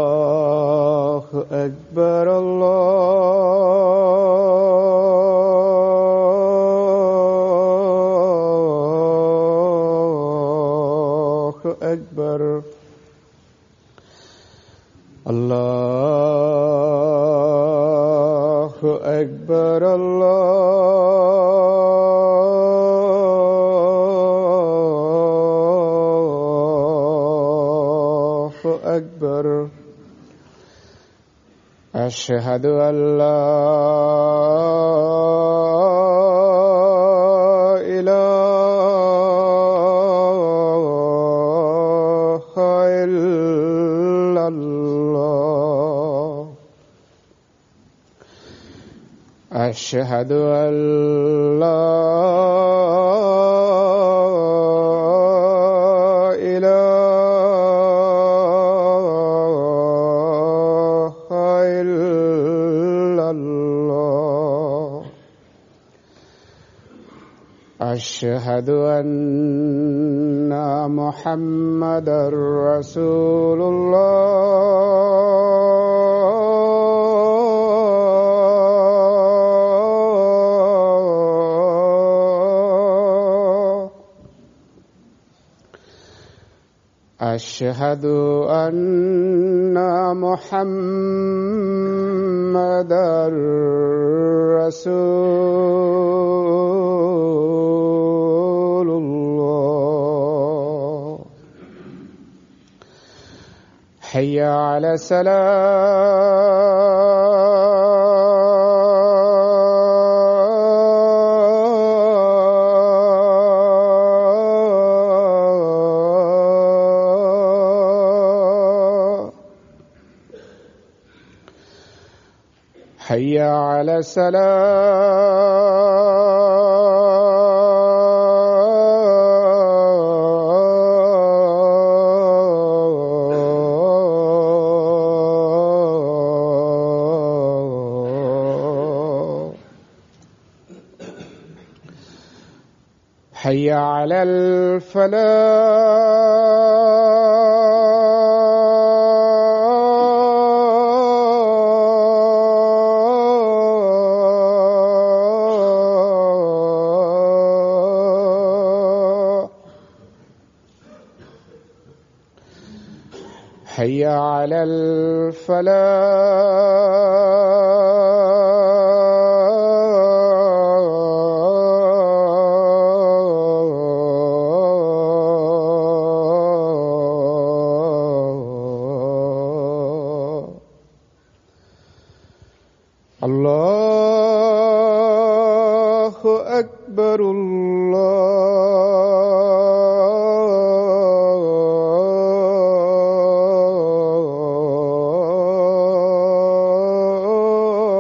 الله أكبر الله أكبر الله أكبر أكبر أشهد أن لا إله إلا الله أشهد أن لا أشهد أن محمدًا رسول الله أشهد أن محمدًا رسول الله حي على الصلاة حي على الصلاة حي على الفلاح حي على الفلاح الله أكبر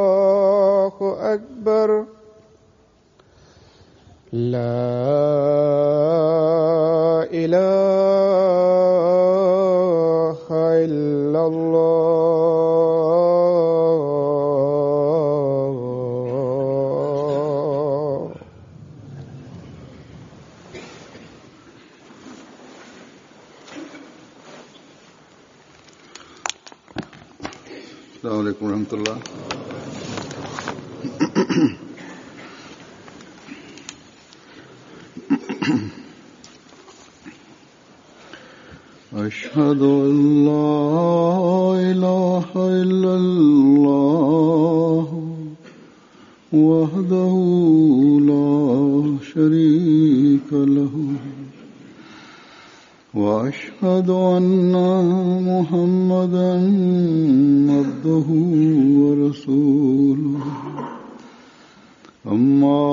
الله أكبر لا إله إلا الله السلام عليكم ورحمة الله. أشهد أن لا إله إلا الله وحده لا شريك له وأشهد أن محمدًا عبده ورسوله أما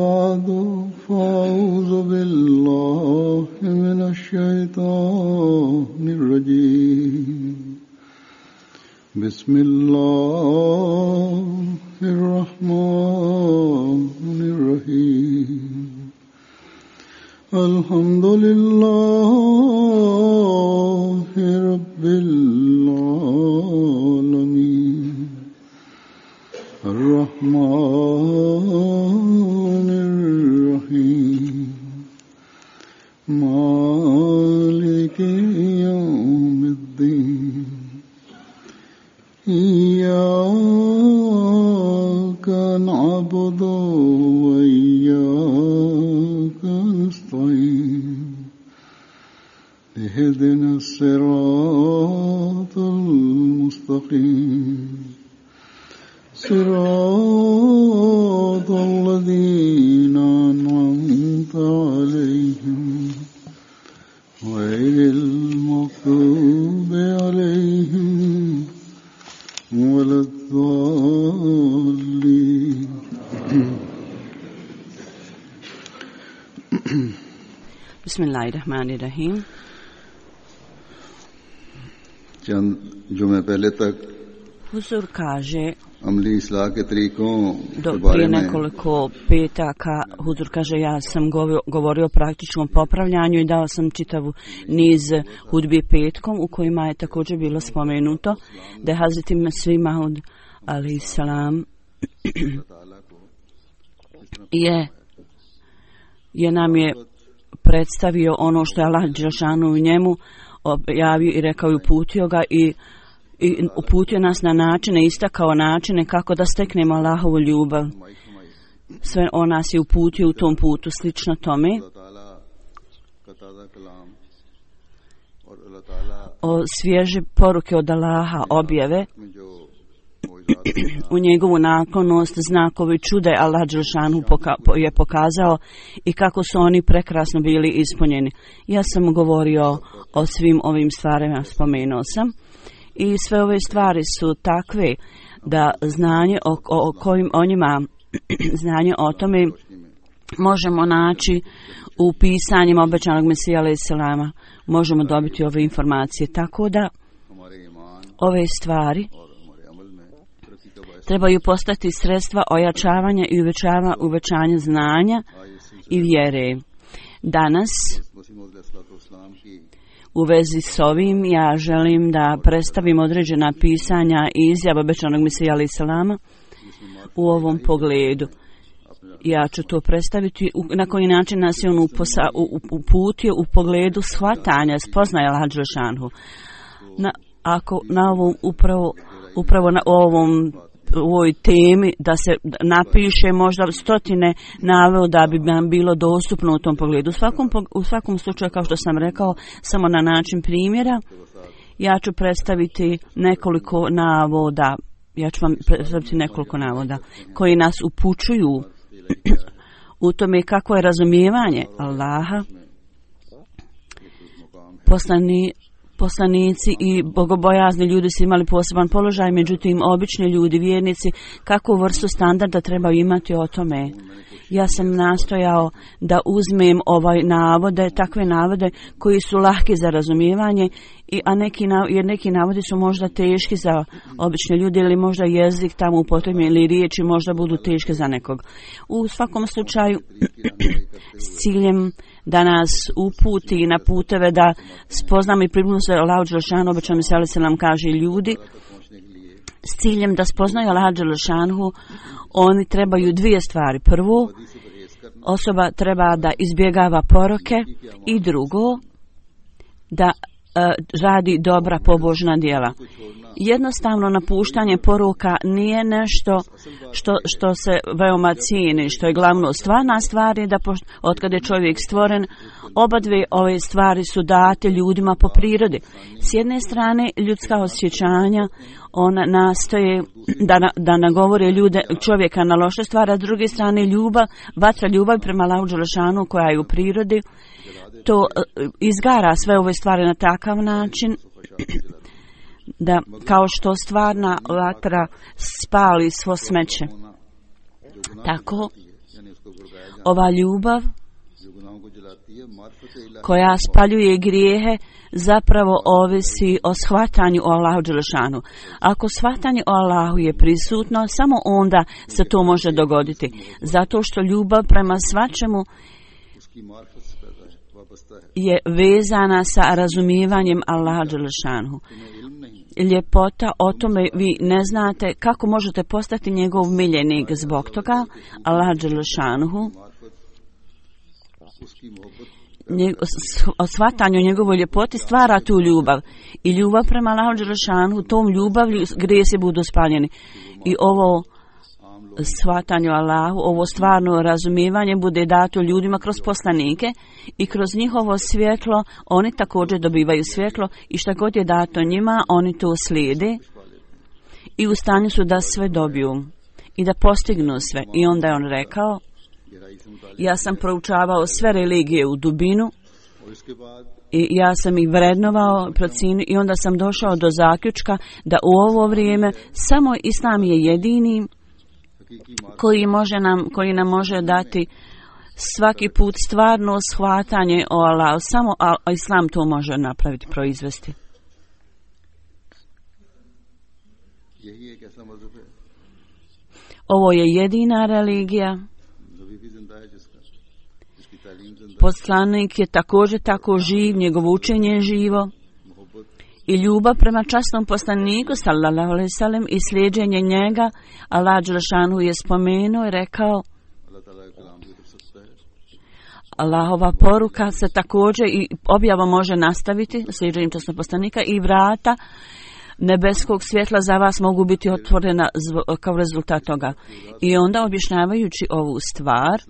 بعد فأعوذ بالله من الشيطان الرجيم بسم الله الرحمن الرحيم الحمد لله إياك نعبد وإياك نستعين اهدنا الصراط المستقيم صراط الذين أنعمت عليهم غير المغضوب عليهم ولا الضالين. बिस्मिल्लाहिर्रहमानिर्रहीम। चंद जुमे पहले तक Huzur kaže अमली इस्लाह के तरीकों do के बारे prije में nekoliko petaka, Huzur kaže, ja sam govorio o praktičnom popravljanju i dao sam čitavu niz hudbi petkom u kojima je također bilo spomenuto da je Hazreti Mesih Maud alejhi salam je nam je predstavio ono što je Allah dželešanu u njemu objavio i rekao i uputio ga i uputio nas na načine, istakao načine kako da steknemo Allahovu ljubav. Sve on nas je uputio u tom putu, slično tome. O svježe poruke od Allaha, objave, u njegovu naklonost, znakovi čude Allah dželešanu je pokazao i kako su oni prekrasno bili ispunjeni. Ja sam govorio o svim ovim stvarima, spomenuo sam. I sve ove stvari su takve da znanje o kojim o njima, znanje o tome možemo naći u pisanjima obećanog Mesija alejhi selama. Možemo dobiti ove informacije. Tako da ove stvari trebaju postati sredstva ojačavanja i uvećanja znanja i vjere. Danas u vezi s ovim ja želim da predstavim određena pisanja i izjava obećanog Mesija alejhi selama u ovom pogledu. Ja ću to predstaviti na koji način nas je on uputio u pogledu shvatanja, spoznaje Allaha dželešanu. Ako na ovom upravo na u ovoj temi da se napiše možda stotine naveo da bi nam bilo dostupno u tom pogledu. U svakom slučaju, kao što sam rekao, samo na način primjera, ja ću predstaviti nekoliko navoda. Ja ću vam predstaviti nekoliko navoda koji nas upućuju u tome kako je razumijevanje Allaha. Poslanici i bogobojazni ljudi su imali poseban položaj, međutim obični ljudi, vjernici, kakvu vrstu standarda trebaju imati o tome. Ja sam nastojao da uzmem takve navode koji su lahki za razumijevanje, jer neki navodi su možda teški za obične ljude ili možda jezik tamo upotrebljen ili riječi možda budu teške za nekog. U svakom slučaju s ciljem da nas uputi na puteve da spoznamo i približimo se Allahu dželešanu, obećanog Mesija alejhi selam kaže ljudi, s ciljem da spoznaju Allaha dželešanu, oni trebaju dvije stvari. Prvo, osoba treba da izbjegava poroke i drugo, da radi dobra pobožna djela. Jednostavno napuštanje poruka nije nešto što se veoma cijeni, što je glavno. Stvarna stvar je da od kada je čovjek stvoren, obadve ove stvari su date ljudima po prirodi. S jedne strane ljudska osjećanja, ona nastoje da nagovore čovjeka na loše stvari, a s druge strane vatra ljubav prema Allahu dželešanu koja je u prirodi, to izgara sve ove stvari na takav način da kao što stvarna vatra spali svo smeće. Tako ova ljubav koja spaljuje grijehe zapravo ovisi o shvatanju o Allahu dželešanu. Ako shvatanje o Allahu je prisutno, samo onda se to može dogoditi. Zato što ljubav prema svačemu je vezana sa razumijevanjem Allaha dželešanu. Ljepota o tome vi ne znate kako možete postati njegov miljenik. Zbog toga Allah dželešanu shvatanje o njegovoj ljepoti stvara tu ljubav. I ljubav prema Allahu dželešanu, tom ljubavlju grijesi budu spaljeni. I ovo shvatanje o Allahu, ovo stvarno razumijevanje bude dato ljudima kroz poslanike i kroz njihovo svjetlo oni također dobivaju svjetlo i šta god je dato njima oni to slijede i u stanju su da sve dobiju i da postignu sve. I onda je on rekao, ja sam proučavao sve religije u dubinu i ja sam ih vrednovao, procijenio i onda sam došao do zaključka da u ovo vrijeme samo Islam je jedini koji nam može dati svaki put stvarno shvatanje o Allahu. Samo Islam to može napraviti, proizvesti. Ovo je jedina religija. Poslanik je također tako živ, njegovo učenje je živo. I ljubav prema časnom poslaniku sallallahu alejhi ve sellem i slijeđenje njega, Allah dželešanu je spomenuo i rekao, Allahova poruka se također i objava može nastaviti slijeđenjem časnog poslanika i vrata nebeskog svjetla za vas mogu biti otvorena kao rezultat toga. I onda objašnjavajući ovu stvar,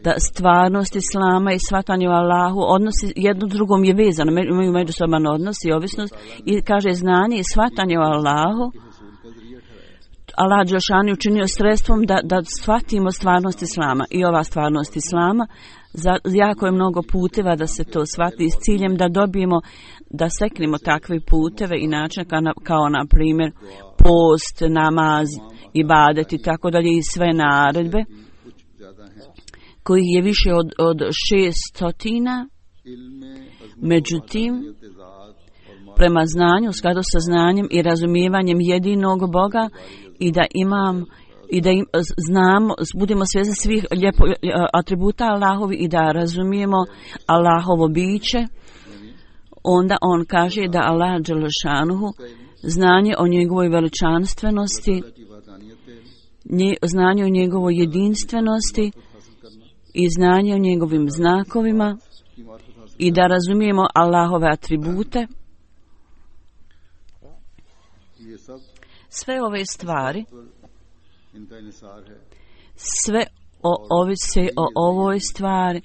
da stvarnost Islama i shvatanje o Allahu odnosi jedno drugom je vezano, imaju međusoban odnos i ovisnost i kaže znanje i shvatanje o Allahu Allah dželešanu je učinio sredstvom da shvatimo stvarnost Islama i ova stvarnost Islama jako je mnogo puteva da se to shvati s ciljem da dobijemo, da seknemo takve puteve i načine kao na primjer post, namaz, ibadet i tako dalje i sve naredbe kojih je više od 600. Međutim, prema znanju, u skladu sa znanjem i razumijevanjem jedinog Boga i da znamo, budemo svjesni svih atributa Allahovi i da razumijemo Allahovo biće, onda on kaže da Allah dželešanuhu znanje o njegovoj veličanstvenosti, znanje o njegovoj jedinstvenosti i znanje o njegovim znakovima i da razumijemo Allahove atribute. Sve ove stvari, sve ovise o ovoj stvari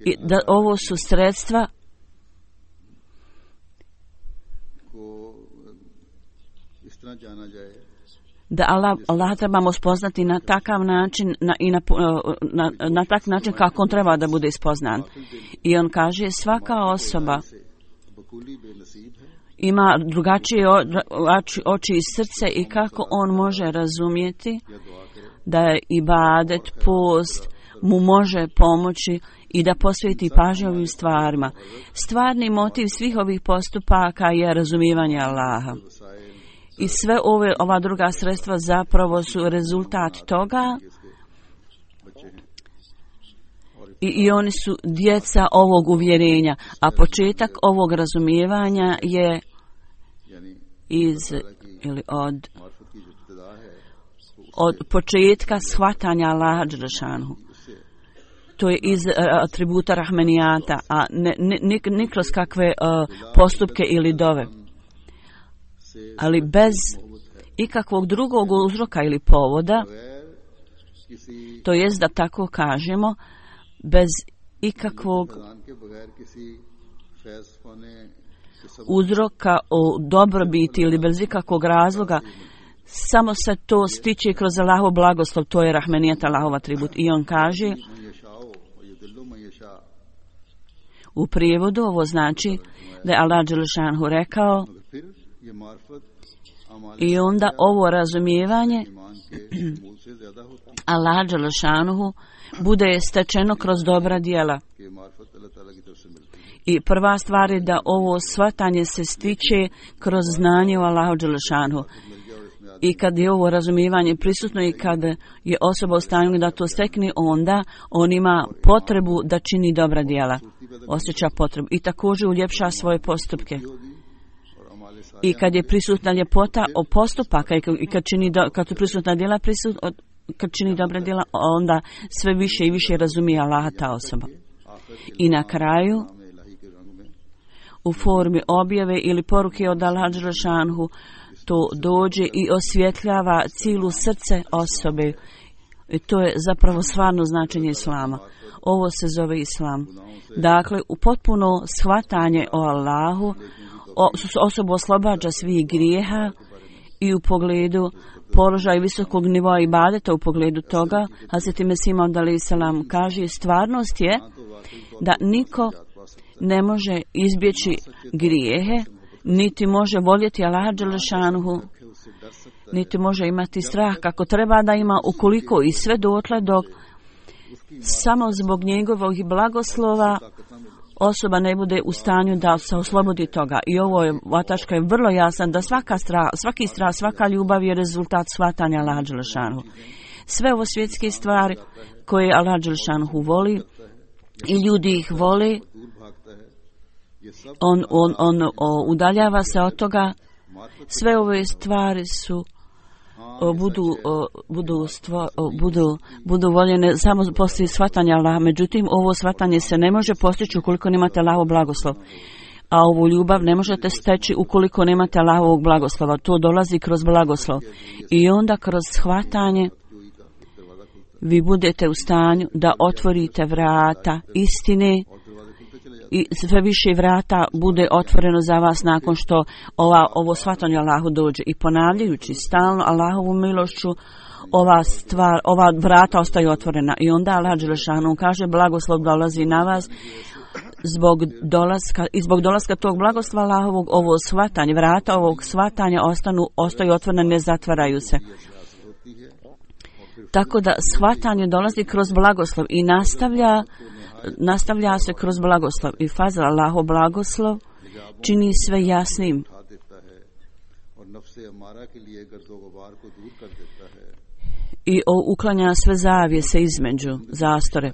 i da ovo su sredstva da Allah trebamo spoznati na takav način na tak način kako on treba da bude spoznan. I on kaže svaka osoba ima drugačije oči i srce i kako on može razumjeti da je ibadet, post mu može pomoći i da posveti pažnju ovim stvarima. Stvarni motiv svih ovih postupaka je razumijevanje Allaha. I sve ova druga sredstva zapravo su rezultat toga i oni su djeca ovog uvjerenja, a početak ovog razumijevanja je od početka shvatanja Allaha dželešanu. To je iz atributa rahmenijata, a ne kroz kakve postupke ili dove. Ali bez ikakvog drugog uzroka ili povoda, to jest da tako kažemo, bez ikakvog uzroka o dobrobiti ili bez ikakvog razloga, samo se to stiče kroz Allahov blagoslov, to je rahmenijat, Allahov atribut. I on kaže, u prijevodu ovo znači da je Allah dželešanhu rekao, i onda ovo razumijevanje Allah dželešanuhu bude stečeno kroz dobra djela. I prva stvar je da ovo shvatanje se stiče kroz znanje o Allahu dželešanuhu. I kad je ovo razumijevanje prisutno i kad je osoba u stanju da to stekne, onda on ima potrebu da čini dobra djela. Osjeća potrebu i također uljepša svoje postupke. I kad je prisutna ljepota o postupaka i kad su prisutna djela kad čini dobra djela, onda sve više i više razumije Allaha ta osoba. I na kraju, u formi objave ili poruke od Allaha dželešanhu, to dođe i osvjetljava cijelu srce osobe. I to je zapravo stvarno značenje Islama. Ovo se zove Islam. Dakle, u potpuno shvatanje o Allahu, osobu oslobađa svih grijeha i u pogledu položaja visokog nivoa ibadeta, u pogledu toga, Hazreti Mesih Maud alejhi selam kaže, stvarnost je da niko ne može izbjeći grijehe, niti može voljeti Allaha dželešanuhu, niti može imati strah kako treba da ima, ukoliko i sve dotle dok samo zbog njegovog blagoslova osoba ne bude u stanju da se oslobodi toga. I ovo je, vataška je vrlo jasan, da svaki strah, svaka ljubav je rezultat shvatanja Allaha dželešanuhu. Sve ovo svjetske stvari koje Allah dželešanuhu voli i ljudi ih vole, on udaljava se od toga. Sve ove stvari su budu voljene samo poslije shvatanja Allaha. Međutim, ovo shvatanje se ne može postići ukoliko nemate Allahov blagoslov. A ovu ljubav ne možete steći ukoliko nemate Allahovog blagoslova. To dolazi kroz blagoslov. I onda kroz shvatanje vi budete u stanju da otvorite vrata istine i sve više vrata bude otvoreno za vas nakon što ovo shvatanje Allahu dođe. I ponavljajući stalno Allahovu milošću, ova vrata ostaju otvorena. I onda Allah dželešanu kaže, blagoslov dolazi na vas zbog dolaska tog blagoslova Allahovog, ovo shvatanje, vrata ovog shvatanja ostaju otvorene, ne zatvaraju se. Tako da shvatanje dolazi kroz blagoslov i nastavlja se kroz blagoslov. I fazl, Allahov blagoslov čini sve jasnim. I uklanja sve zavjese između, zastore.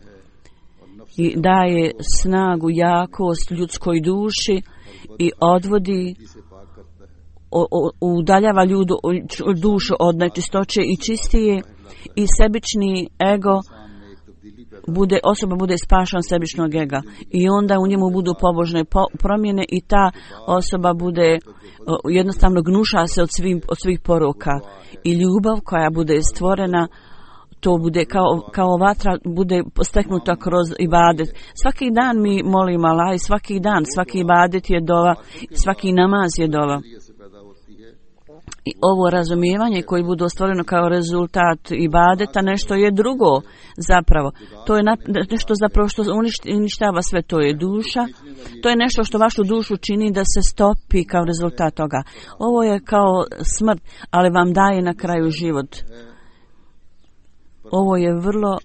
I daje snagu, jakost ljudskoj duši i odvodi, udaljava dušu od nečistoće i čistije, i sebični ego osoba bude spašan sebičnog ega. I onda u njemu budu pobožne promjene i ta osoba bude jednostavno gnuša se od svih poroka. I ljubav koja bude stvorena, to bude kao vatra, bude steknuta kroz ibadet. Svaki dan mi molimo Allah i svaki ibadet je dova, svaki namaz je dova. I ovo razumijevanje koje bude stvoreno kao rezultat ibadeta, nešto je drugo zapravo. To je nešto zapravo što uništava sve, to je duša. To je nešto što vašu dušu čini da se stopi kao rezultat toga. Ovo je kao smrt, ali vam daje na kraju život. Ovo je vrlo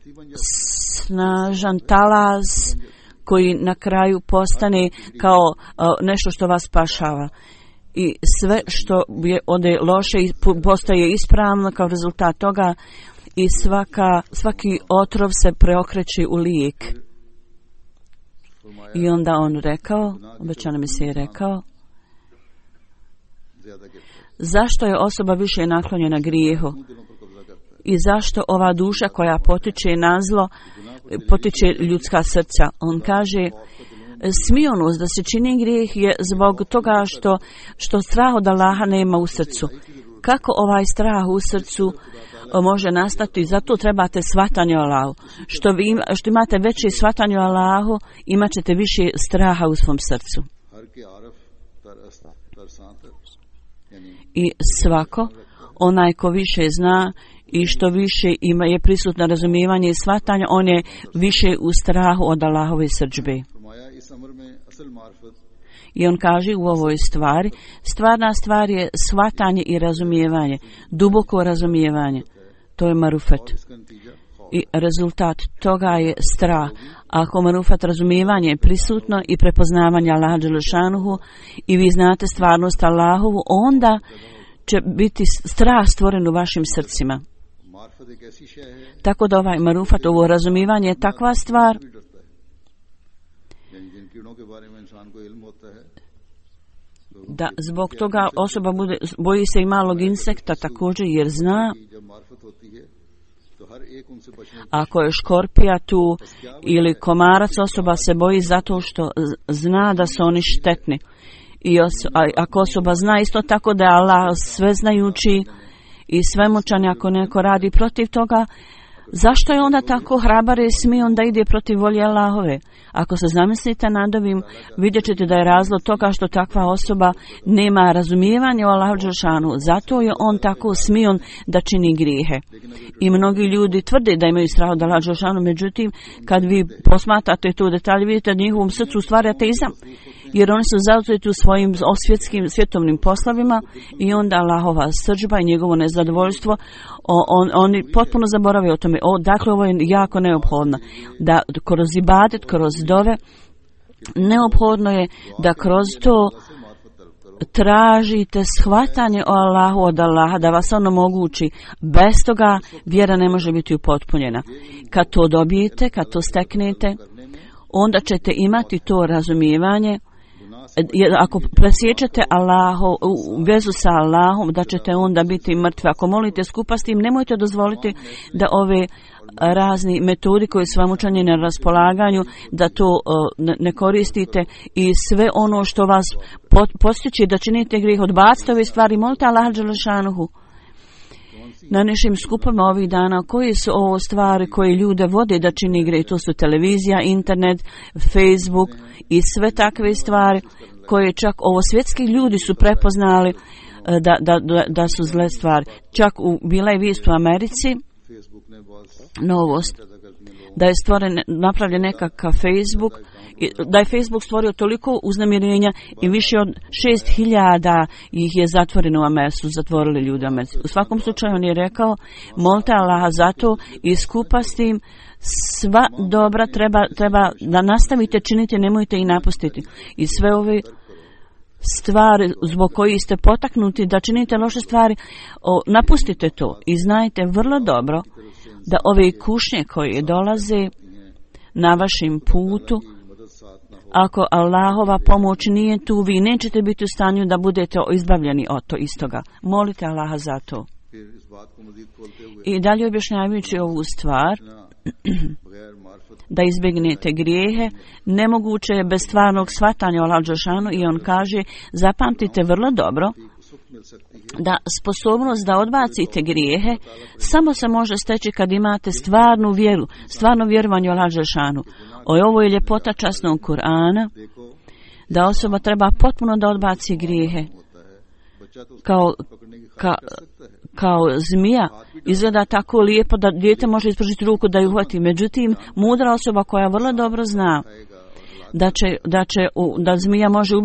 snažan talas koji na kraju postane kao nešto što vas spašava. I sve što je ode loše postaje ispravno kao rezultat toga i svaki otrov se preokreće u lijek. I onda on rekao, obećana mi se je rekao, zašto je osoba više naklonjena grijehu i zašto ova duša koja potiče na zlo, potiče ljudska srca. On kaže, smijonost da se čini grijeh je zbog toga što strah od Allaha nema u srcu. Kako ovaj strah u srcu može nastati? Zato trebate shvatanje o Allahu. Što imate veće shvatanje o Allahu, imat ćete više straha u svom srcu. I svako, onaj ko više zna i što više je prisutno razumijevanje i shvatanje, on je više u strahu od Allahove srdžbe. I on kaže u ovoj stvari, stvarna stvar je shvatanje i razumijevanje, duboko razumijevanje. To je marufet. I rezultat toga je strah. Ako marufet razumijevanje je prisutno i prepoznavanje Allaha dželešanuhu i vi znate stvarnost Allahovu, onda će biti strah stvoren u vašim srcima. Tako da ovaj marufat, ovo razumijevanje je takva stvar da zbog toga osoba boji se i malog insekta također, jer zna Ako je škorpija tu ili komarac, osoba se boji zato što zna da su oni štetni. I ako osoba zna isto tako da je Allah sveznajući i svemoćan, ako neko radi protiv toga, zašto je onda tako hrabar i smije onda ide protiv volje Allahove? Ako se zamislite nad ovim, vidjet ćete da je razlog toga što takva osoba nema razumijevanja o Allahu dželešanu. Zato je on tako smion da čini grijehe. I mnogi ljudi tvrde da imaju strah od Allaha dželešanu, međutim, kad vi posmatrate to detalje, vidite da njihovom srcu stvari ateizam. Jer oni su zauzeti u svojim svjetovnim poslovima i onda Allahova srdžba i njegovo nezadovoljstvo, oni potpuno zaborave o tome. Dakle, ovo je jako neophodno. Da kroz ibadet, kroz dove, neophodno je da kroz to tražite shvatanje o Allahu od Allaha, da vas ono omogući. Bez toga vjera ne može biti upotpunjena. Kad to dobijete, kad to steknete, onda ćete imati to razumijevanje. Ako presjećate vezu sa Allahom, da ćete onda biti mrtvi. Ako molite skupa s tim, nemojte dozvoliti da ove razni metodi koji su vam učinjeni na raspolaganju, da to ne koristite i sve ono što vas postiče da činite grijeh, odbacite ove stvari, molite Allaha dželešanuhu. Na našim skupama ovih dana, koji su ovo stvari koje ljude vode da čini grijeh? To su televizija, internet, Facebook i sve takve stvari koje čak ovo svjetski ljudi su prepoznali da su zle stvari. Čak bila je vijest u Americi, novost, da je napravljen nekakav Facebook, da je Facebook stvorio toliko uznemirenja i više od 6.000 ih je zatvoreno u Americi, zatvorili ljudi u Americi. U svakom slučaju on je rekao, molite Allaha za to i skupa s tim sva dobra treba da nastavite činiti, nemojte i napustiti. I sve ove stvari zbog kojih ste potaknuti da činite loše stvari, napustite to i znajte vrlo dobro da ove kušnje koje dolaze na vašim putu, ako Allahova pomoć nije tu, vi nećete biti u stanju da budete izbavljeni od to istoga. Molite Allaha za to. I dalje objašnjavajući ovu stvar, da izbjegnete grijehe, nemoguće je bez stvarnog shvatanja o Allahu dželešanu, i on kaže, zapamtite vrlo dobro da sposobnost da odbacite grijehe samo se može steći kad imate stvarnu vjeru, stvarno vjerovanje o Allahu dželešanu. Ovo je ljepota časnog Kur'ana, da osoba treba potpuno da odbaci grijehe. Kao zmija izgleda tako lijepo da dijete može ispružiti ruku da ju uhvati. Međutim, mudra osoba koja vrlo dobro zna da zmija može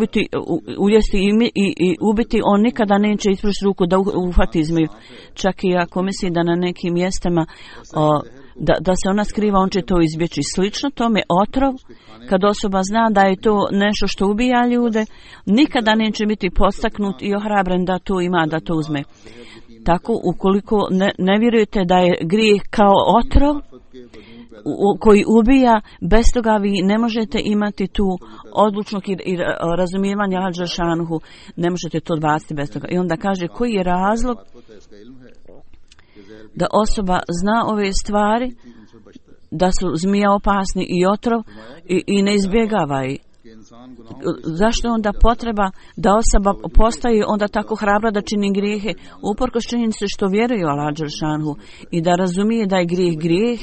ujesti i ubiti, on nikada neće ispružiti ruku da uhvati zmiju. Čak i ako misli da na nekim mjestama da se ona skriva, on će to izbjeći. Slično tome otrov, kad osoba zna da je to nešto što ubija ljude, nikada neće biti podstaknut i ohrabren da to ima, da to uzme. Tako, ukoliko ne vjerujete da je grijeh kao otrov koji ubija, bez toga vi ne možete imati tu odlučnog i razumijevanja Allaha dželešanuhu, ne možete to odbaciti bez toga. I onda kaže, koji je razlog da osoba zna ove stvari, da su zmija opasni i otrov i ne izbjegava ih. Zašto onda potreba da osoba postaje onda tako hrabra da čini grijehe, uprkos činjenici što vjeruje u Allaha dželešanuhu i da razumije da je grijeh,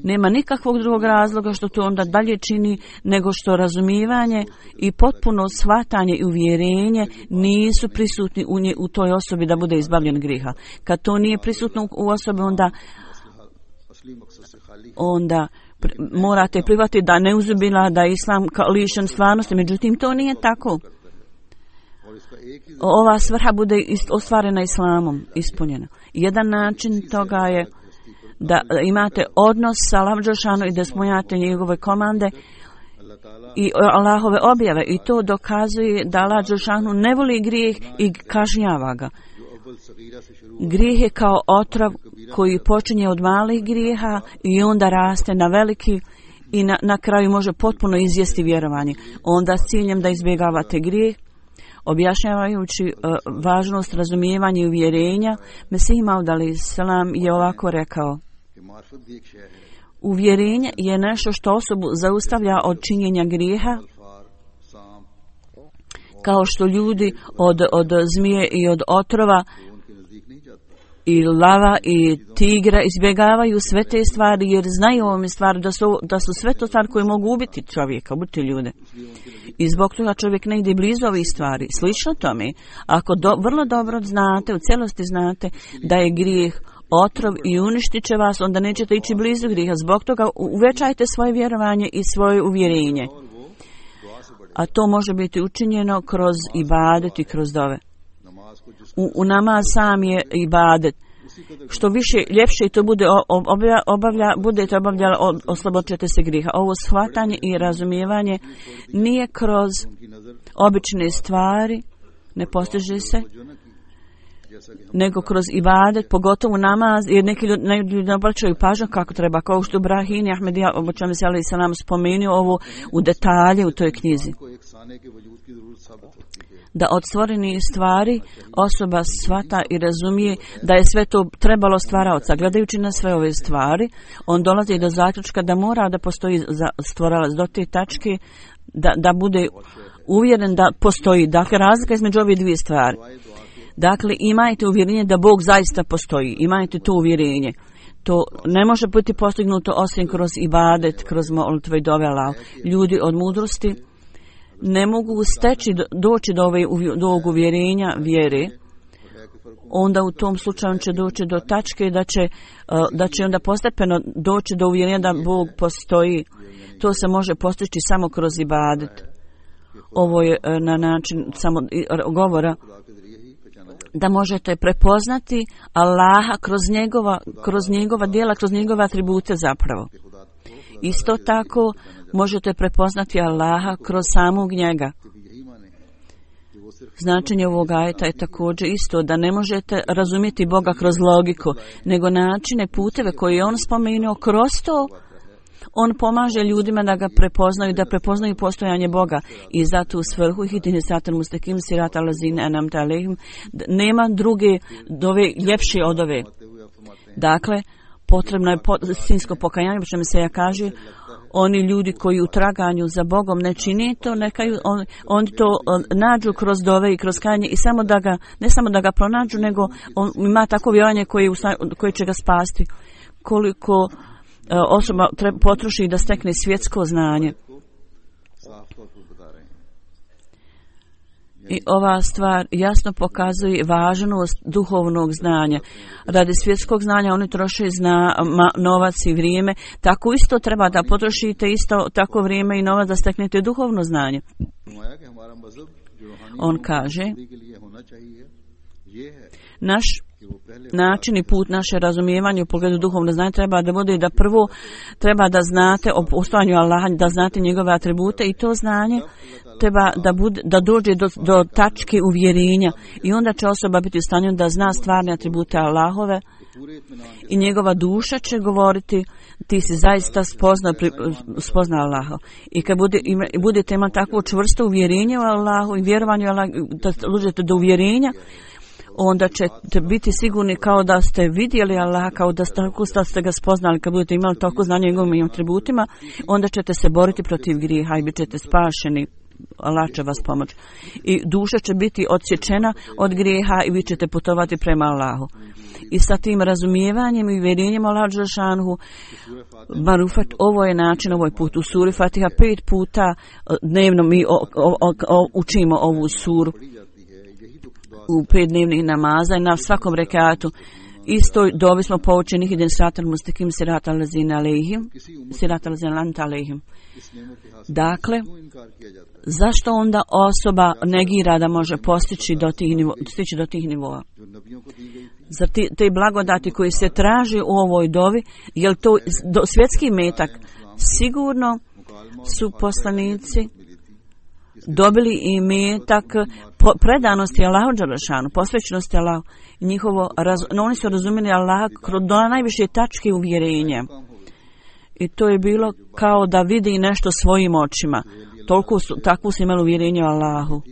nema nikakvog drugog razloga što to onda dalje čini nego što razumijevanje i potpuno shvatanje i uvjerenje nisu prisutni u toj osobi da bude izbavljen grijeha. Kad to nije prisutno u osobi, onda morate prihvatiti da ne uzubila da je islam lišen stvarnosti, međutim to nije tako. Ova svrha bude ostvarena islamom, ispunjena. Jedan način toga je da imate odnos sa Allahom dželešanu i da ispunjate njegove komande i Allahove objave, i to dokazuje da Allah dželešanu ne voli grijeh i kažnjava ga. Grijeh je kao otrov koji počinje od malih grijeha i onda raste na veliki i na kraju može potpuno izjesti vjerovanje. Onda s ciljem da izbjegavate grijeh, Objašnjavajući važnost razumijevanja i uvjerenja, Mesih Maud alejhi selam je ovako rekao: uvjerenje je nešto što osobu zaustavlja od činjenja grijeha, kao što ljudi od zmije i od otrova i lava i tigra izbjegavaju sve te stvari, jer znaju ovome stvari da su sve to stvari koje mogu ubiti čovjeka, ubiti ljude. I zbog toga čovjek ne ide blizu ovih stvari. Slično tome, ako vrlo dobro znate, u cijelosti znate da je grijeh otrov i uništit će vas, onda nećete ići blizu grijeha. Zbog toga uvećajte svoje vjerovanje i svoje uvjerenje. A to može biti učinjeno kroz ibadet i kroz dove. U namaz sam je ibadet. Što više, ljepše to bude budete obavljali, oslobodit ćete se grijeha. Ovo shvatanje i razumijevanje nije kroz obične stvari, ne postiže se, nego kroz ibadet, pogotovo namaz, jer neki ljudi ne obraćaju pažnju kako treba, kao što Ibrahim Ahmedija obočan se alejhi selam spomenuo ovo u detalje u toj knjizi. Da od stvorenih stvari osoba shvata i razumije da je sve to trebalo stvaraoca. Gledajući na sve ove stvari, on dolazi do zaključka da mora da postoji stvaralac do te tačke, da bude uvjeren da postoji. Dakle, razlika između ove dvije stvari. Dakle, imajte uvjerenje da Bog zaista postoji. Imajte to uvjerenje. To ne može biti postignuto osim kroz ibadet, kroz molitve i dove Allahu. Ljudi od mudrosti ne mogu doći do ovog uvjerenja vjere, onda u tom slučaju će doći do tačke da će onda postepeno doći do uvjerenja da Bog postoji. To se može postići samo kroz ibadet. Ovo je na način samo govora da možete prepoznati Allaha kroz njegova djela, kroz njegove atribute zapravo. Isto tako možete prepoznati Allaha kroz samog njega. Značenje ovog ajeta je također isto da ne možete razumjeti Boga kroz logiku, nego načine, puteve koje je on spomenuo kroz to. On pomaže ljudima da ga prepoznaju, da prepoznaju postojanje Boga. I zato u svrhu ihdini siratal mustakim siratal ladzina an'amta alejhim nema druge dove ljepše od ove. Dakle, potrebno je istinsko pokajanje, što mi se ja kaže, oni ljudi koji u traganju za Bogom ne čini to, oni to nađu kroz dove i kroz kajanje i ne samo da ga pronađu, nego on ima tako vjerovanje koje će ga spasti. Koliko osoba potroši da stekne svjetsko znanje. I ova stvar jasno pokazuje važnost duhovnog znanja. Radi svjetskog znanja oni troše novac i vrijeme. Tako isto treba da potrošite isto tako vrijeme i novac da steknete duhovno znanje. On kaže, naš način i put naše razumijevanje u pogledu duhovnog znanja treba da bude da prvo treba da znate o postojanju Allaha, da znate njegove atribute i to znanje treba da dođe do tačke uvjerenja i onda će osoba biti u stanju da zna stvarne atribute Allahove i njegova duša će govoriti ti si zaista spozna Allaha. I kad budete imati takvo čvrsto uvjerenje u Allahu i vjerovanje u Allahu, da dođete do uvjerenja, onda ćete biti sigurni kao da ste vidjeli Allaha, kao da ste ga spoznali. Kad budete imali toliko znanja njegovim atributima, onda ćete se boriti protiv grijeha i bit ćete spašeni. Allah će vas pomoći. I duša će biti odsječena od grijeha i vi ćete putovati prema Allahu. I sa tim razumijevanjem i uvjerenjem Allahu dželešanuhu, marufat, ovo je način, ovo je put u suri Fatiha. 5 puta dnevno mi učimo ovu suru u 5 dnevnih namaza i na svakom rekatu. Isto dobi smo poučeni ihdina siratal mustakim siratal ladzina an'amta alejhim. Dakle, zašto onda osoba negira da može stići do tih nivoa? Za te blagodati koji se traži u ovoj dovi, je li to svjetski metak? Sigurno su poslanici dobili i metak predanosti Allahu dželešanu, posvećenosti Allahu. Oni su razumjeli Allaha do najviše tačke uvjerenja. I to je bilo kao da vidi nešto svojim očima. Takvu su imali uvjerenje o Allahu.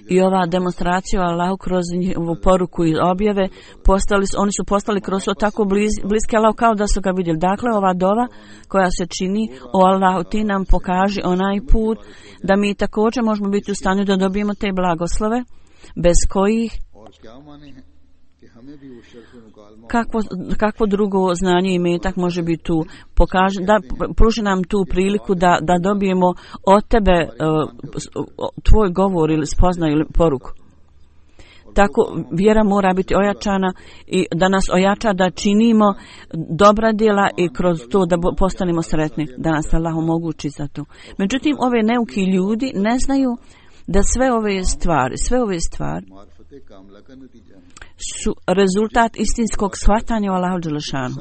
I ova demonstracija Allahu kroz njihovu poruku i objave, oni su postali kroz to tako bliski Allahu kao da su ga vidjeli. Dakle, ova dova koja se čini, o Allahu ti nam pokaži onaj put da mi također možemo biti u stanju da dobijemo te blagoslove, bez kojih kakvo drugo znanje i metak može biti tu, da pruži nam tu priliku da dobijemo od tebe tvoj govor ili spoznaju ili poruku. Tako vjera mora biti ojačana i da nas ojača da činimo dobra djela i kroz to da postanemo sretni, da nas Allah omogući za to. Međutim, ove neuki ljudi ne znaju da sve ove stvari su rezultat istinskog shvatanja o Allahu dželešanu.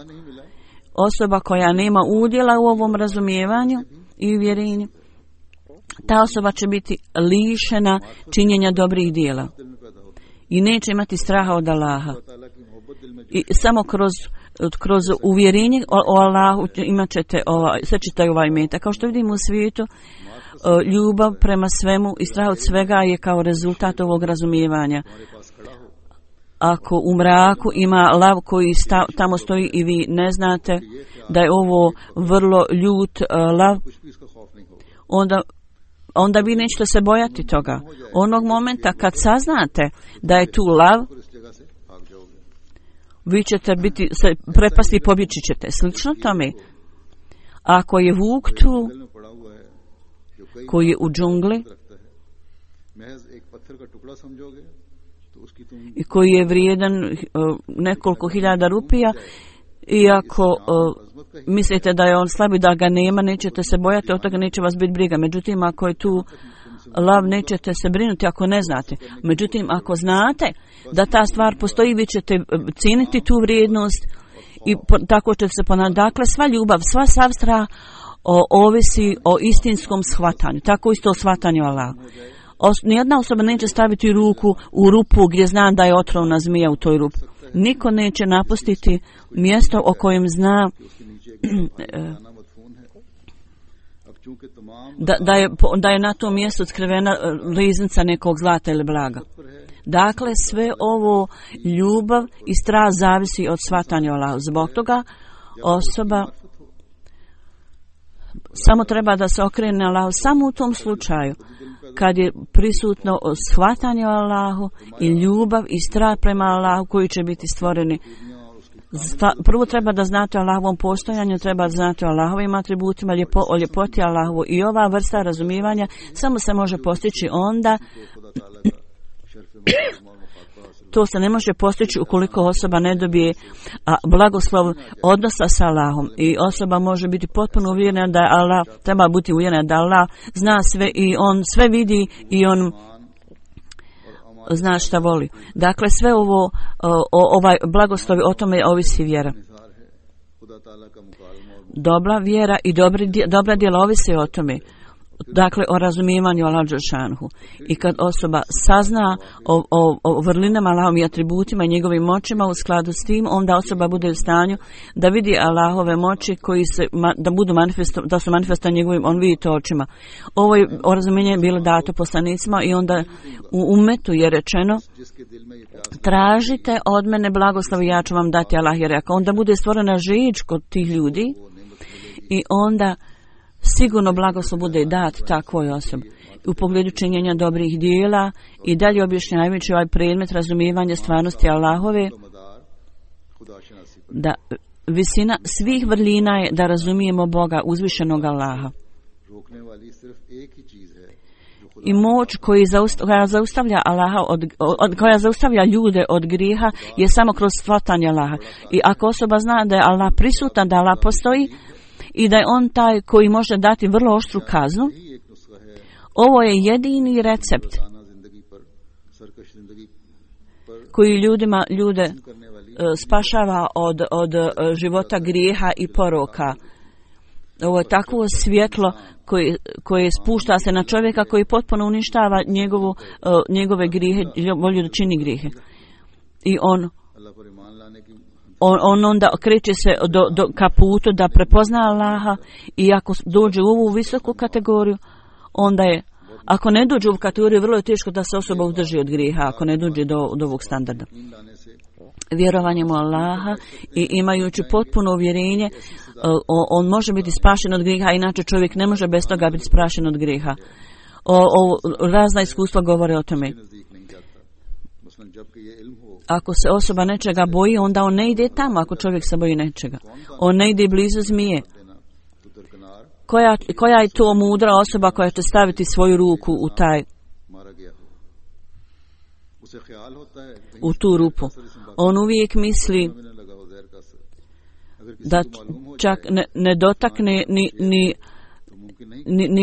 Osoba koja nema udjela u ovom razumijevanju i uvjerenju, ta osoba će biti lišena činjenja dobrih djela i neće imati straha od Allaha. I samo kroz uvjerenje o Allahu imat ćete sve ćete ovaj metak. Kao što vidimo u svijetu, ljubav prema svemu i strah od svega je kao rezultat ovog razumijevanja. Ako u mraku ima lav koji tamo stoji i vi ne znate da je ovo vrlo ljut lav, onda vi nećete se bojati toga. Onog momenta kad saznate da je tu lav, vi ćete se prepasti i pobjeći ćete. Slično tome, ako je vuk tu, koji je u džungli i koji je vrijedan nekoliko hiljada rupija, i ako mislite da je on slab i da ga nema, nećete se bojati, od toga neće vas biti briga. Međutim, ako je tu lav, nećete se brinuti ako ne znate. Međutim, ako znate da ta stvar postoji, vi ćete cijeniti tu vrijednost i tako ćete se ponavljati. Dakle, sva ljubav, sav strah ovisi o istinskom shvatanju. Tako isto o shvatanju Allaha. Nijedna osoba neće staviti ruku u rupu gdje zna da je otrovna zmija u toj rupi. Niko neće napustiti mjesto o kojem zna da je na tom mjestu otkrivena riznica nekog zlata ili blaga. Dakle, sve ovo ljubav i strah zavisi od shvatanja Allaha. Zbog toga osoba samo treba da se okrene Allahu samo u tom slučaju kad je prisutno shvatanje o Allahu i ljubav i strah prema Allahu koji će biti stvoreni. Prvo treba da znate o Allahovom postojanju, treba da znate o Allahovim atributima, o ljepoti Allahovu, i ova vrsta razumijevanja samo se može postići onda to se ne može postići ukoliko osoba ne dobije blagoslov odnosa sa Allahom, i osoba može biti potpuno uvjerena da Allah, treba biti uvjerena da Allah zna sve i on sve vidi i on zna šta voli. Dakle, sve ovo, ovaj blagoslovi, o tome ovisi vjera. Dobra vjera i dobra djela ovisi o tome. Dakle, o razumijevanju Allaha dželešanu. I kad osoba sazna o vrlinama Allahovim i atributima i njegovim moćima, u skladu s tim, onda osoba bude u stanju da vidi Allahove moći koji da su manifestovane njegovim, on vidi to očima. Ovo razumijenje je bilo dato poslanicima i onda u umetu je rečeno: tražite od mene blagoslov i ja ću vam dati. Allah je rekao. Onda bude stvorena žeđ kod tih ljudi i onda sigurno blagoslov bude dat takvoj osobi u pogledu činjenja dobrih dijela. I dalje objašnjavajući ovaj predmet razumijevanja stvarnosti Allahove, da visina svih vrlina je da razumijemo Boga, uzvišenog Allaha. I moć koja zaustavlja Allaha koja zaustavlja ljude od grijeha je samo kroz shvatanje Allaha. I ako osoba zna da je Allah prisutan, da Allah postoji i da je on taj koji može dati vrlo oštru kaznu, ovo je jedini recept koji ljude spašava od života grijeha i poroka. Ovo je takvo svjetlo koje spušta se na čovjeka, koji potpuno uništava njegove grijehe, volju da čini grijehe. I on onda kreće se ka putu da prepozna Allaha, i ako dođe u ovu visoku kategoriju, onda je Ako ne dođe u kategoriju, vrlo je teško da se osoba udrži od grijeha, ako ne dođe do ovog standarda. Vjerovanjem u Allaha i imajući potpuno uvjerenje, on može biti spašen od grijeha, inače čovjek ne može bez toga biti spašen od grijeha. Razna iskustva govore o tome. Ako se osoba nečega boji, onda on ne ide tamo ako čovjek se boji nečega. On ne ide blizu zmije. Koja je to mudra osoba koja će staviti svoju ruku u tu rupu? On uvijek misli da čak ne dotakne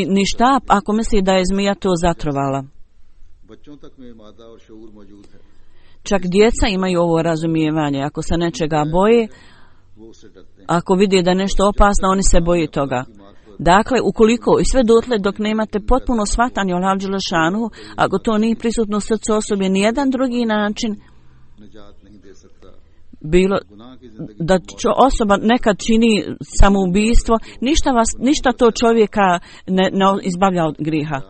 ni štap ako misli da je zmija to zatrovala. Čak djeca imaju ovo razumijevanje. Ako se nečega boje, ako vidi da je nešto opasno, oni se boje toga. Dakle, ukoliko i sve dotle dok nemate potpuno shvatanje o Allahu dželešanu, ako to nije prisutno u srcu osobe, nijedan drugi način, bilo da osoba nekad čini samoubistvo, ništa to čovjeka ne izbavlja od grijeha.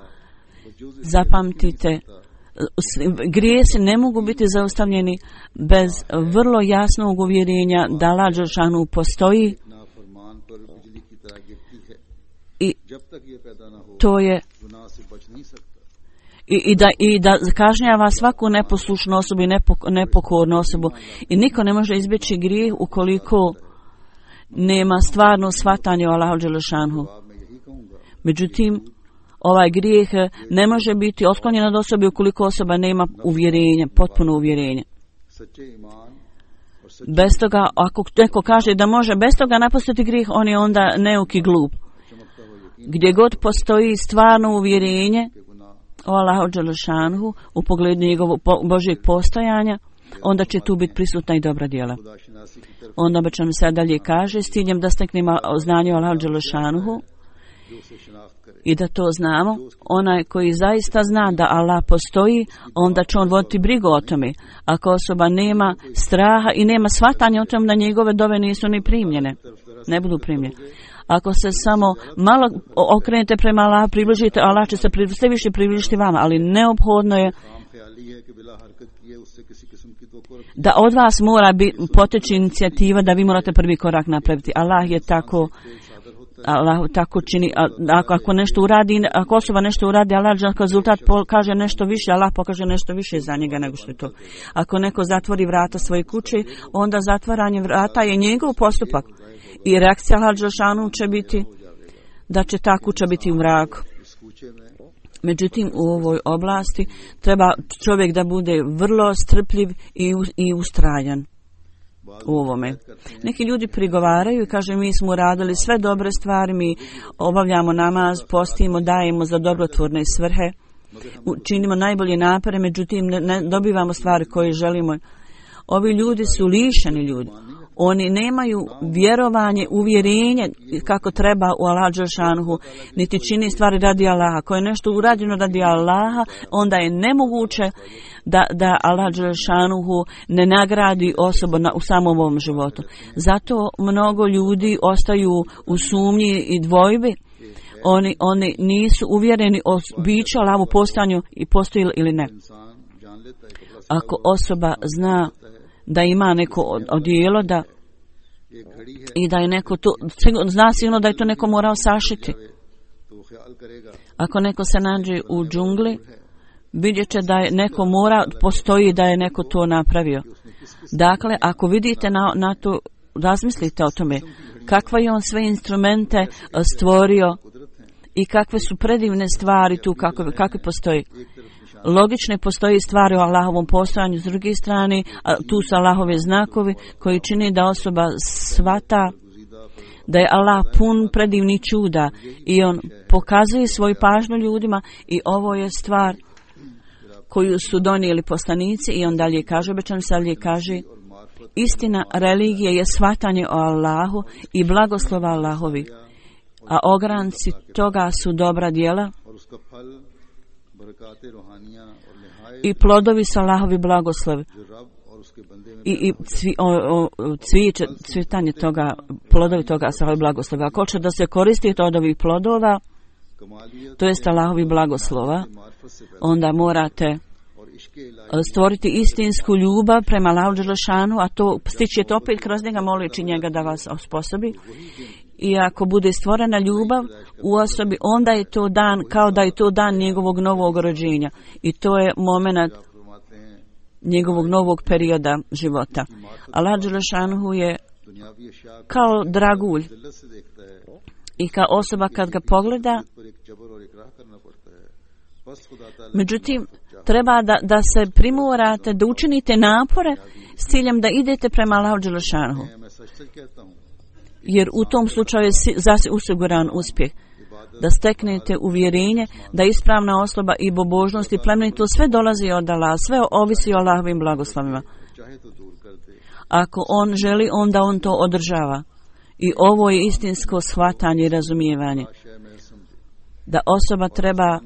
Zapamtite, grijesi ne mogu biti zaustavljeni bez vrlo jasnog uvjerenja da Allah dželešanu postoji i to je i da kažnjava svaku neposlušnu osobu i nepokornu osobu i niko ne može izbjeći grijeh ukoliko nema stvarno shvatanje o Allahu dželešanu. Međutim, ovaj grijeh ne može biti otklonjen od osobe ukoliko osoba nema uvjerenje, potpuno uvjerenje. Bez toga, ako neko kaže da može bez toga napustiti grijeh, on je onda neuk i glup. Gdje god postoji stvarno uvjerenje o Allahu dželešanu u pogledu njegovog Božjeg postojanja, onda će tu biti prisutna i dobra djela. Onda obično se dalje kaže s ciljem da steknemo znanje o Allahu dželešanu i da to znamo. Onaj koji zaista zna da Allah postoji, onda će on voditi brigu o tome. Ako osoba nema straha i nema shvatanja o tom da njegove dove nisu ni primljene, ne budu primljene. Ako se samo malo okrenete prema Allahu, približite, Allah će se sve više približiti vama, ali neophodno je da od vas mora poteći inicijativa da vi morate prvi korak napraviti. Allah tako čini. Ako nešto uradi, ako osoba nešto uradi, Allah rezultat kaže nešto više, Allah pokaže nešto više za njega nego što je to. Ako neko zatvori vrata svoje kuće, onda zatvaranje vrata je njegov postupak. I reakcija Allahu dželešanu će biti da će ta kuća biti u mraku. Međutim, u ovoj oblasti treba čovjek da bude vrlo strpljiv i ustrajan u ovome. Neki ljudi prigovaraju i kažu mi smo radili sve dobre stvari, mi obavljamo namaz, postimo, dajemo za dobrotvorne svrhe, činimo najbolje napore, međutim ne dobivamo stvari koje želimo. Ovi ljudi su lišeni ljudi. Oni nemaju vjerovanje, uvjerenje kako treba u Allahu dželešanu, niti čini stvari radi Allaha. Ako je nešto urađeno radi Allaha, onda je nemoguće da Allah dželešanu ne nagradi osobu u samom ovom životu. Zato mnogo ljudi ostaju u sumnji i dvojbi. Oni nisu uvjereni o biću Allahu postojanju i postoji ili ne. Ako osoba zna da ima neko odijelo i da je neko to, zna sigurno da je to neko morao sašiti. Ako neko se nađe u džungli, vidjet će da je neko postoji da je neko to napravio. Dakle, ako vidite na to, razmislite o tome, kakve je on sve instrumente stvorio i kakve su predivne stvari tu, kakve postoji. Logične postoji stvari o Allahovom postojanju, s druge strane, tu su Allahove znakovi koji čini da osoba shvata da je Allah pun predivnih čuda i on pokazuje svoju pažnju ljudima i ovo je stvar koju su donijeli poslanici i on dalje kaže, obećan se dalje kaže, istina religije je shvatanje o Allahu i blagoslova Allahovi, a ogranci toga su dobra djela i plodovi su Allahovi blagoslovi i cvjetanje toga, plodovi toga su Allahovi blagoslovi. Ako hoće da se koristite od ovih plodova, to jest Allahovi blagoslova, onda morate stvoriti istinsku ljubav prema Allahu dželešanu, a to stičete opet kroz njega moleći njega da vas osposobi. I ako bude stvorena ljubav u osobi, onda je to dan kao da je to dan njegovog novog rođenja. I to je moment njegovog novog perioda života. Allah dželešanu je kao dragulj i kao osoba kad ga pogleda. Međutim, treba da se primorate, da učinite napore s ciljem da idete prema Allahu dželešanu. Jer u tom slučaju je osiguran uspjeh. Da steknete uvjerenje da ispravna osoba i bobožnost i plemenito sve dolazi od Allaha, sve ovisi o Allahovim blagoslovima. Ako on želi, onda on to održava. I ovo je istinsko shvatanje i razumijevanje. Da osoba treba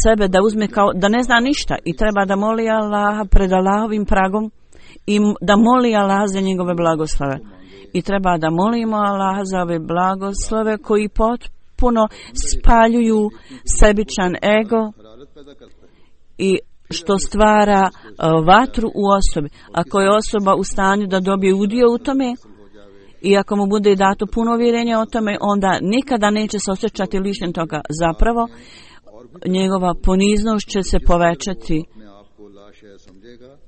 sebe da uzme kao da ne zna ništa i treba da moli Allaha pred Allahovim pragom i da moli Allaha za njegove blagoslove. I treba da molimo Allaha za ove blagoslove koji potpuno spaljuju sebičan ego i što stvara vatru u osobi. Ako je osoba u stanju da dobije udio u tome i ako mu bude dato puno uvjerenja o tome, onda nikada neće se osjećati lišen toga. Zapravo, njegova poniznost će se povećati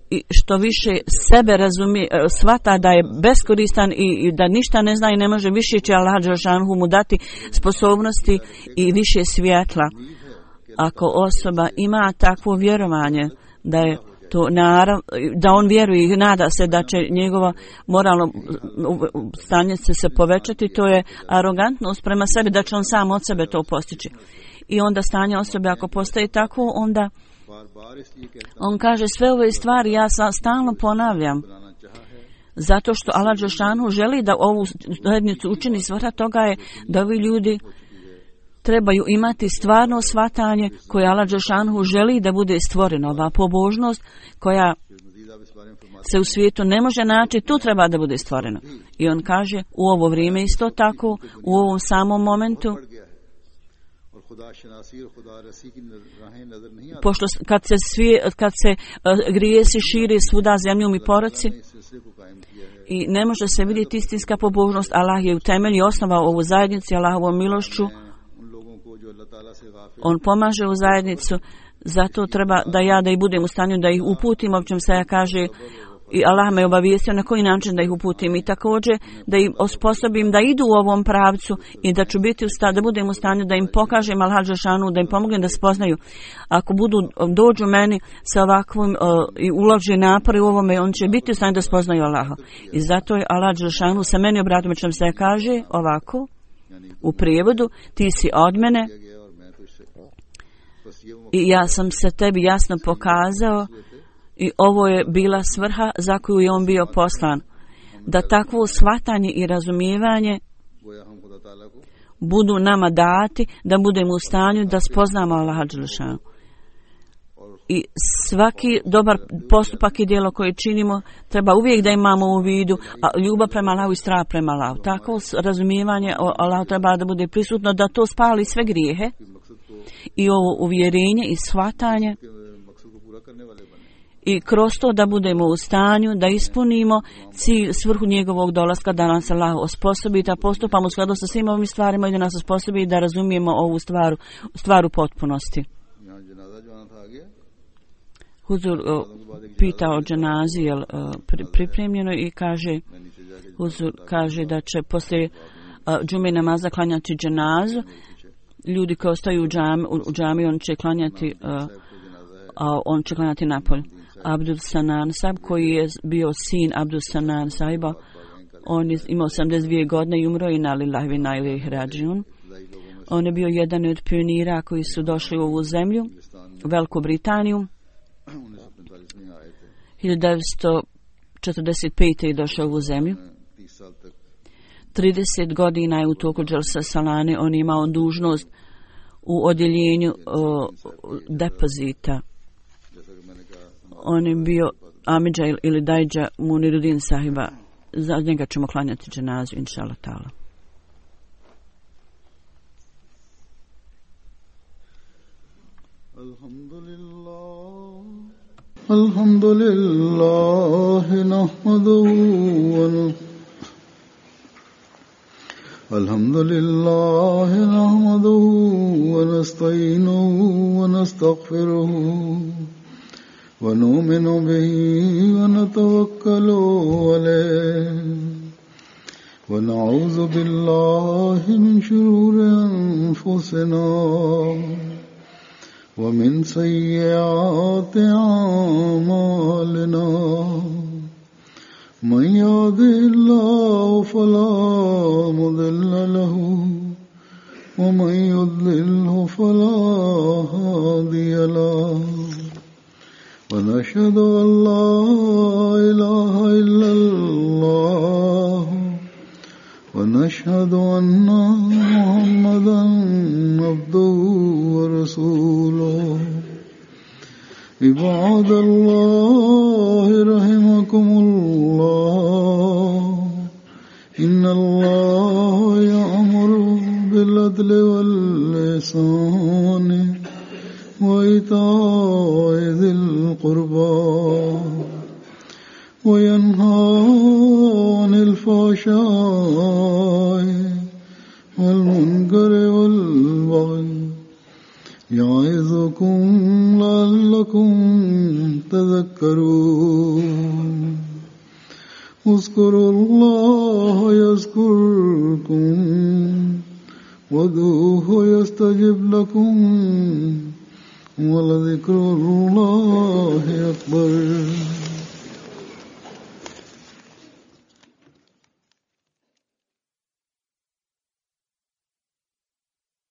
i što više sebe razumije, shvata da je beskoristan i da ništa ne zna i ne može, više će Allah dželešanu mu dati sposobnosti i više svjetla. Ako osoba ima takvo vjerovanje da je to da on vjeruje i nada se da će njegovo moralno stanje se povećati, to je arogantnost prema sebi, da će on sam od sebe to postići. I onda stanje osobe ako postaje tako, onda on kaže sve ove stvari ja stalno ponavljam. Zato što Allah dželešanu želi da ovu zajednicu učini, svrha toga je da ovi ljudi trebaju imati stvarno shvatanje koje Allah dželešanu želi da bude stvoreno. Ova pobožnost koja se u svijetu ne može naći, tu treba da bude stvoreno. I on kaže u ovo vrijeme isto tako, u ovom samom momentu, pošto kad se grijesi širi svuda zemljom i poroci i ne može se vidjeti istinska pobožnost, Allah je u temelju osnovao ovu zajednicu Allahovom milošću. On pomaže u zajednicu, zato treba da i budem u stanju da ih uputim, o čem se ja kaže, i Allah me obavijestio na koji način da ih uputim i također da ih osposobim da idu u ovom pravcu i da ću biti da budem u stanju da im pokažem Allah dželešanu, da im pomognem da spoznaju. Ako dođu meni sa ovakvim i ulože napore u ovome, on će biti u stanju da spoznaju Allaha. I zato je Allah dželešanu sa meni obratio, o čem se kaže ovako u prijevodu: ti si od mene i ja sam se tebi jasno pokazao. I ovo je bila svrha za koju je on bio poslan. Da takvo shvatanje i razumijevanje budu nama dati, da budemo u stanju da spoznamo Allaha dželešanu. I svaki dobar postupak i djelo koje činimo treba uvijek da imamo u vidu ljubav prema Allahu i strah prema Allahu. Takvo razumijevanje o Allahu treba da bude prisutno, da to spali sve grijehe i ovo uvjerenje i shvatanje. I kroz to da budemo u stanju da ispunimo cilj, svrhu njegovog dolaska, da nas Allah osposobi da postupamo u skladu sa svim ovim stvarima i da nas osposobi da razumijemo ovu stvar u potpunosti. Huzur pita o dženazi, je pripremljeno, i kaže, Huzur kaže da će poslije džume namaza klanjati dženazu. Ljudi koji ostaju u džami, on će klanjati napolje. Abdul Sanan Sahib, koji je bio sin Abdul Sanan Sahiba, on je imao 82 godine i umro, i inna lillahi wa inna ilaihi rađiun. On je bio jedan od pionira koji su došli u ovu zemlju, u Veliku Britaniju. 1945. je došao u ovu zemlju. 30 godina je u toku Dželsa Salane on imao dužnost u odjeljenju depozita. On je bio Amidža ili Dajđa Muniruddin Sahiba. Za njega ćemo klanjati dženazu, inša Allah ta'ala. الحمد لله نحمده ونستعينه ونستغفره ونؤمن به ونتوكل عليه ونعوذ بالله من شرور أنفسنا ومن سيئات أعمالنا من يهده الله فلا مضل له ومن يضلله فلا هادي له ونشهد أن لا إله إلا الله ونشهد أن محمدا عبده ورسوله عباد الله رحمكم الله إن الله يأمر بالعدل والإحسان وإيتاء ذي القربى وينهى عن الفحشاء والمنكر والبغي يعظكم لعلكم تذكرون اذكروا الله يذكركم وادعوه يستجب لكم ولذكر الله أكبر